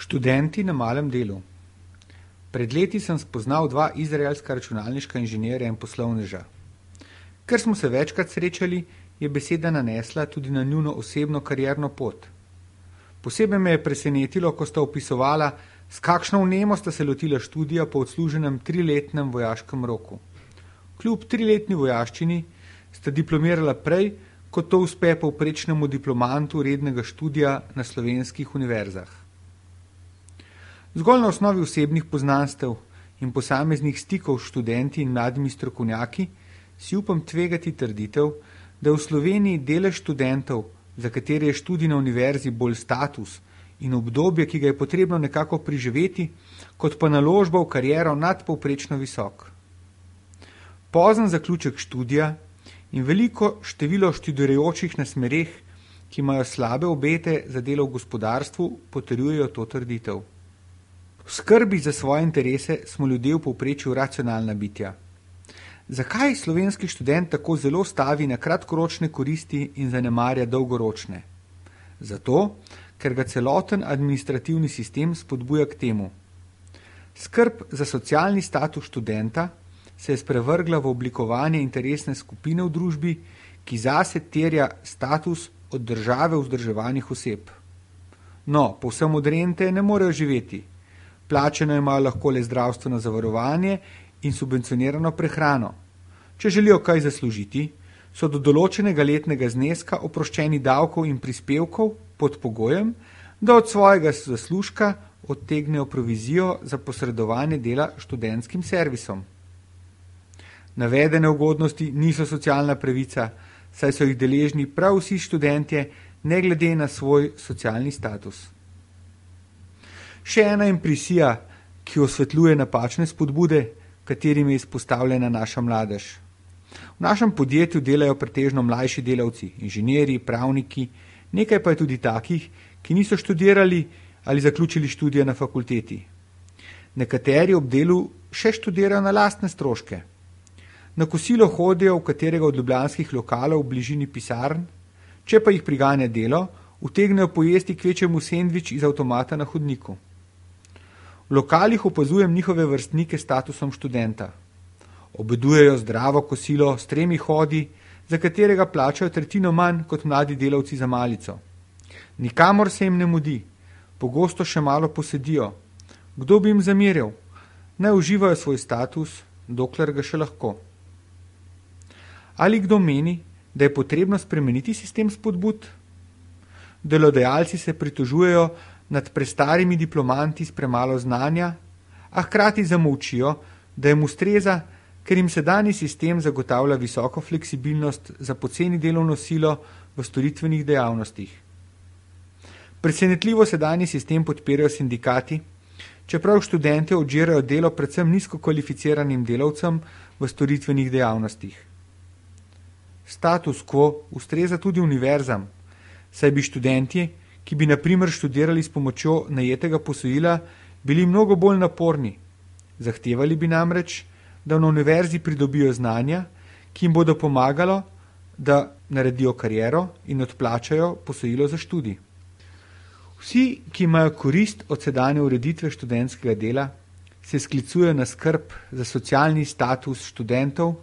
Študenti na malem delu. Pred leti sem spoznal dva izraelska računalniška inženirja in poslovneža. Ker smo se večkrat srečali, je beseda nanesla tudi na njuno osebno karierno pot. Posebej me je presenetilo, ko sta opisovala, s kakšno vnemo sta se lotila študija po odsluženem 3-letnem vojaškem roku. Kljub 3-letni vojaščini sta diplomirala prej, kot to uspe povprečnemu diplomantu rednega študija na slovenskih univerzah. Zgolj na osnovi osebnih poznanstev in posameznih stikov s študenti in mladimi strokovnjaki si upam tvegati trditev, da v Sloveniji delež študentov, za katere je študij na univerzi bolj status in obdobje, ki ga je potrebno nekako preživeti, kot pa naložba v kariero nadpovprečno visok. Pozen zaključek študija in veliko število študirajočih na smereh, ki imajo slabe obete za delo v gospodarstvu, potrjujejo to trditev. V skrbi za svoje interese smo ljudje v povprečju racionalna bitja. Zakaj slovenski študent tako zelo stavi na kratkoročne koristi in zanemarja dolgoročne? Zato, ker ga celoten administrativni sistem spodbuja k temu. Skrb za socialni status študenta se je sprevrgla v oblikovanje interesne skupine v družbi, ki zase terja status od države vzdrževanih oseb. No, povsem od rente ne morejo živeti. Plačeno imajo lahko le zdravstveno zavarovanje in subvencionirano prehrano. Če želijo kaj zaslužiti, so do določenega letnega zneska oproščeni davkov in prispevkov pod pogojem, da od svojega zaslužka odtegnejo provizijo za posredovanje dela študentskim servisom. Navedene ugodnosti niso socialna pravica, saj so jih deležni prav vsi študentje, ne glede na svoj socialni status. Še ena impresija, ki osvetljuje napačne spodbude, katerim je izpostavljena naša mladež. V našem podjetju delajo pretežno mlajši delavci, inženirji, pravniki, nekaj pa je tudi takih, ki niso študirali ali zaključili študije na fakulteti. Nekateri ob delu še študirajo na lastne stroške. Na kosilo hodijo v katerega od ljubljanskih lokalov v bližini pisarn, če pa jih priganja delo, utegnejo pojesti kvečjemu sendvič iz avtomata na hodniku. V lokalih opazujem njihove vrstnike s statusom študenta. Obedujejo zdravo kosilo s 3 hodi, za katerega plačajo tretjino manj kot mladi delavci za malico. Nikamor se jim ne mudi, pogosto še malo posedijo. Kdo bi jim zameril? Naj uživajo svoj status, dokler ga še lahko. Ali kdo meni, da je potrebno spremeniti sistem spodbud? Delodajalci se pritožujejo nad prestarimi diplomanti s premalo znanja, a hkrati zamolčijo, da jim ustreza, ker jim sedanji sistem zagotavlja visoko fleksibilnost za poceni delovno silo v storitvenih dejavnostih. Presenetljivo sedanji sistem podpirajo sindikati, čeprav študente odžirajo delo predvsem nizko kvalificiranim delavcem v storitvenih dejavnostih. Status quo ustreza tudi univerzam, saj bi študenti, ki bi na primer študirali s pomočjo najetega posojila, bili mnogo bolj naporni. Zahtevali bi namreč, da na univerzi pridobijo znanja, ki jim bodo pomagalo, da naredijo kariero in odplačajo posojilo za študij. Vsi, ki imajo korist od sedanje ureditve študentskega dela, se sklicujejo na skrb za socialni status študentov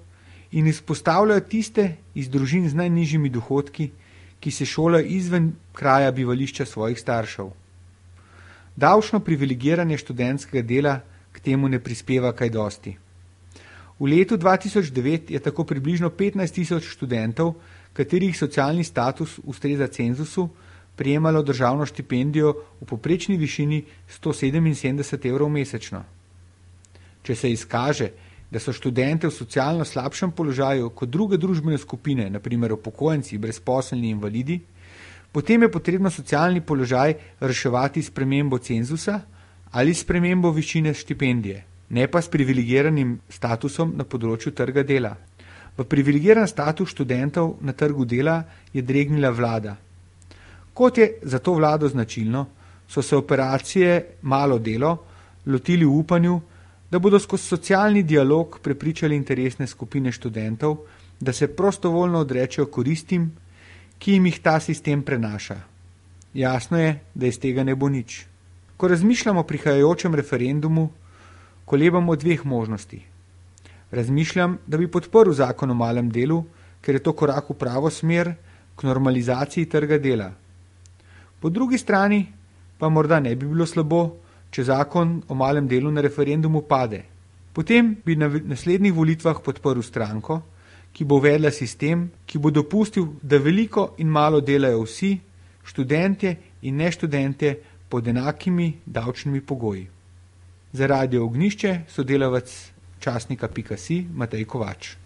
in izpostavljajo tiste iz družin z najnižjimi dohodki, ki se šolajo izven kraja bivališča svojih staršev. Davčno privilegiranje študentskega dela k temu ne prispeva kaj dosti. V letu 2009 je tako približno 15.000 študentov, katerih socialni status ustreza cenzusu, prejemalo državno štipendijo v povprečni višini 177 evrov mesečno. Če se izkaže, da so študente v socialno slabšem položaju kot druge družbene skupine, na primer upokojenci, brezposelni invalidi, potem je potrebno socialni položaj reševati s spremembo cenzusa ali s spremembo višine štipendije, ne pa s privilegiranim statusom na področju trga dela. V privilegiran status študentov na trgu dela je dregnila vlada. Kot je za to vlado značilno, so se operacije Malo delo lotili v upanju, da bodo skozi socialni dialog prepričali interesne skupine študentov, da se prostovoljno odrečejo koristim, ki jim jih ta sistem prenaša. Jasno je, da iz tega ne bo nič. Ko razmišljam o prihajajočem referendumu, kolebam o dveh možnosti. Razmišljam, da bi podprl zakon o malem delu, ker je to korak v pravo smer k normalizaciji trga dela. Po drugi strani pa morda ne bi bilo slabo, če zakon o malem delu na referendumu pade. Potem bi na naslednjih volitvah podprl stranko, ki bo uvedla sistem, ki bo dopustil, da veliko in malo delajo vsi, študentje in neštudentje pod enakimi davčnimi pogoji. Za Radio Ognjišče sodelavec časnika.si Matej Kovač.